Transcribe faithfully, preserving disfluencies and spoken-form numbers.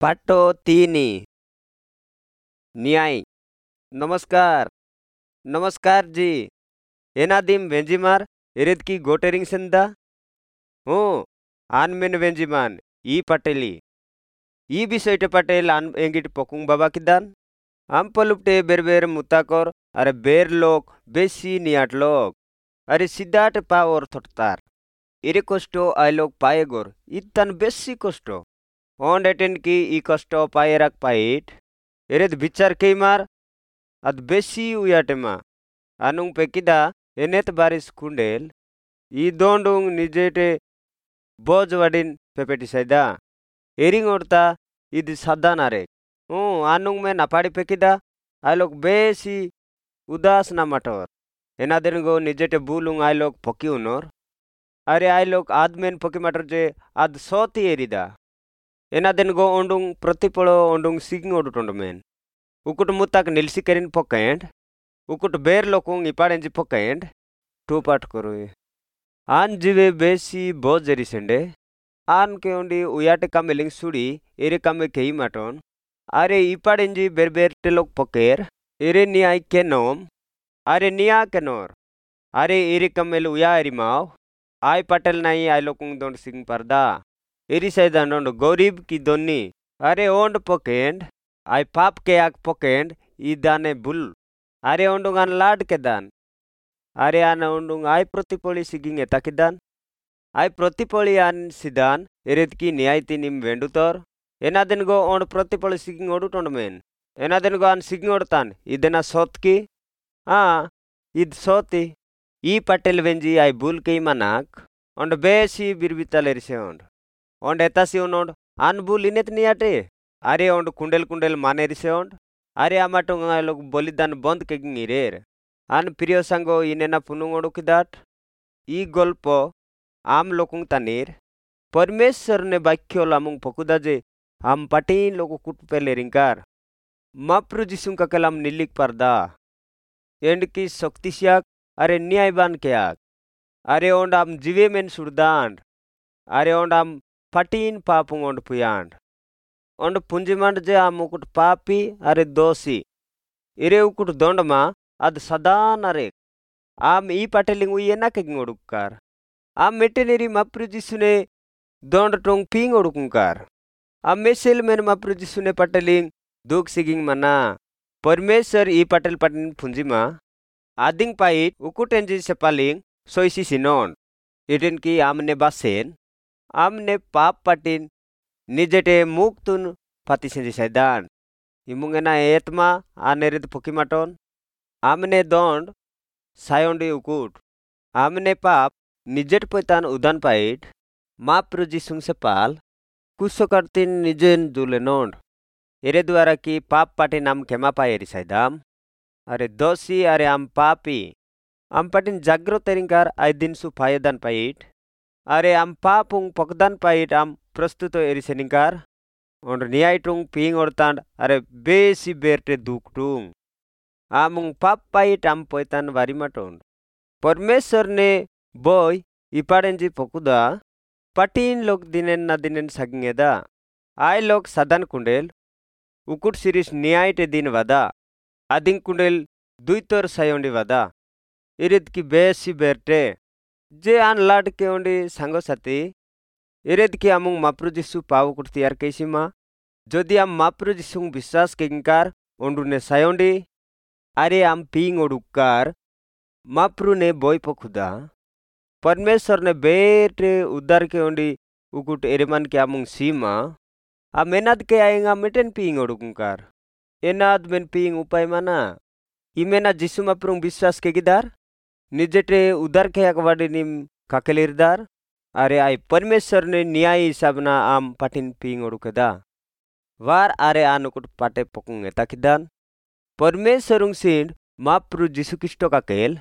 ପାଠ ତିନି न्याय। नमस्कार नमस्कार जी। एनादिम वेंजिमार एरेद की गोटेरिंग सेंदा हूँ आन मेन वेंजिमान ई पटेली ई विषयटे पटेल आन एंगिट पकुंग बाबा किदान आम पलुपटे बेर बेर मुताकर अरे बेर लोक बेसी नियाट लोक अरे सिद्धाट पावर थोटतार एरे कष्ट आय लोक पाए गोर इतान बेसी कष्ट ओंड एटेन की ई कष्ट पाए राख पाइट एरेद विचार केमार अद बेसी उयाटेमा आनुंग पेकिदा एनेत बारिश कुंडेल ई दोंडुंग निजेटे बोज वाडिन पेपेटिसाइदा एरिंग ओडता इद सादा नारे हूँ आनुंग में नापाड़ी पेकिदा आय लोग बेसी उदास ना मटोर एनादेन गो निजेटे बुलुंग आय लोग पकी उनोर अरे आय लोग आदमेन पकी मटर जे आद सोती एरिदा एनादेन गो ओंडुंग प्रतिपलो ओंडुंग सिगिंग ओडुटोंड मेन उकुट मुताक निलसी करिन पोकेंड उकुट बेर लोकुंग इपाडेंजी पोकेंड टू पाट करुई आन जीवे बेसी बोज एरिसेंडे आन के ओंडी उयाटे कामेलिंग सुड़ी एरे कामे केई माटोन अरे इपाडेंजी बेर बेर टेलोक पोकेर एरे नियाई केनोम अरे निया केनोर अरे एरे कमेल उया एरिमाव आय पटेल नाई आय लोकुंग दोंड सिंग परदा एरी साइदान ओंड गरीब की दोनी अरे ओंड पोकेंड आय पाप के आग पोकेंड ई दाने बुल अरे ओंडुंग आन लाड के दान अरे आन ओंडुंग आय प्रतिपोली सिगिंग एताकिदान आय प्रतिपोली आन सिदान एरेद की न्यायती निम वेंडुतोर एनादेन गो ओंड प्रतिपोली सिगिंग ओडुटोंड मेन एनादेन गो आन सिगिंग ओडतान इदेना सोत की हाँ इद सोती ई पटेल वेंजी आय बुल के मनाक ओंड बेसी बिरबिताल एरिसे ओंड ओंड एतासी ओंड आन बुल इनेत नियाटे अरे ओंड कुंडेल कुंडेल माने रिसे ओंड अरे आमाटोंग लोग बलिदान बंद केगिंग इरेर आन प्रिय सांगो इनेना पुनुंग ओडुकिदाट ई गल्प आम लोकुंग तानीर परमेश्वर ने वाक्य लामुंग पकुदा जे आम पाटीन लोगो कुटपेल एरिंकार माप्रु जिसुंग काकेलाम निलिक पारदा एंड की शक्तिसियाक अरे न्यायबान केयाक अरे ओंड आम जीवे मेन सुरदांड अरे ओंड आम पाटीन पापुंग ओंड पुयांड ओंड पुंजिमांड जे आम उकुट पापी अरे दोषी एरे उकुट दोंडमा अद सदान अरे आम ई पाटेलिंग उई एना केगिंग ओडुक्कार आम मेटेनेरी माप्रु जिसुने दोंड टोंग पिंग ओडुकुंकार आम मेसेल मेन माप्रु जिसुने पाटेलिंग दुख सिगिंग मना परमेश्वर ई पाटेल पाटिन फुंजिमा आदिंग पाइट उकुटेंजी सेपालिंग सोइसी सिनोन इटेन की आमने बासेन आमने पाप पाटिन निजेटे मुक्तुन फाती सेंजी साइदान इमुंगेना एतमा आनेरिद पोकीमाटोन आमने दोंड सायोंडी उकुट आमने पाप निजेट पोतान उदान पाइट माप्रु जिसुंग सेपाल कुसोकर्तिन निजेन दुलेनोंड एरे द्वारा की पाप पाटी नाम खेमा पाए एरी साइदाम अरे दोषी अरे आम पापी आम पाटिन जाग्रत एरिंकार आय दिन सु फायदान पाइट अरे आम पापुंग पकदान पाइट आम प्रस्तुत एरिसेनिंकार ओंड न्यायटुंग पिंग ओडतांड अरे बेसी बेरटे दुखटुंग आमुंग पाप पाइट आम पोयतान वारिमाटोंड परमेश्वर ने बोय इपाडेंजी पकुदा पाटीन लोक दिनेन ना दिनेन सागिंगेदा आय लोक सादान कुंडेल उकुट सिरिस न्यायटे दिन वादा आदिंग कुंडेल दुईतर सायोंडी वादा एरेद की बेसी बेरटे जे आन लाड के ओंडी सांगो साथी एरेद की आमुंग माप्रु जिसु पाव कुट तैयार कैसीमा जदि आम माप्रु जिसुंग विश्वास केगिंकार ओंडुने सायोंडी अरे आम पिंग ओडुकार माप्रु ने बोय पखुदा परमेश्वर ने बेटे उद्धार के ओंडी उकुट एरेमान के आमुंग सीमा आ मेनाद के आएंगा मेटेन पिंग ओडुकुंकार एनाद मेन पिंग उपाय माना इमेना जिसु माप्रुंग विश्वास केगिदार निजेटे उद्धार के अकवाडी निम काकेलिरदार अरे आय परमेश्वर ने न्याय हिसाबना आम पाटिन पिंग ओडुकेदा वार अरे आनुकुट पाटे पकुंग एताकिदान परमेश्वरुंग सिंड माप्रु जिसु ख्रीष्ट काकेल।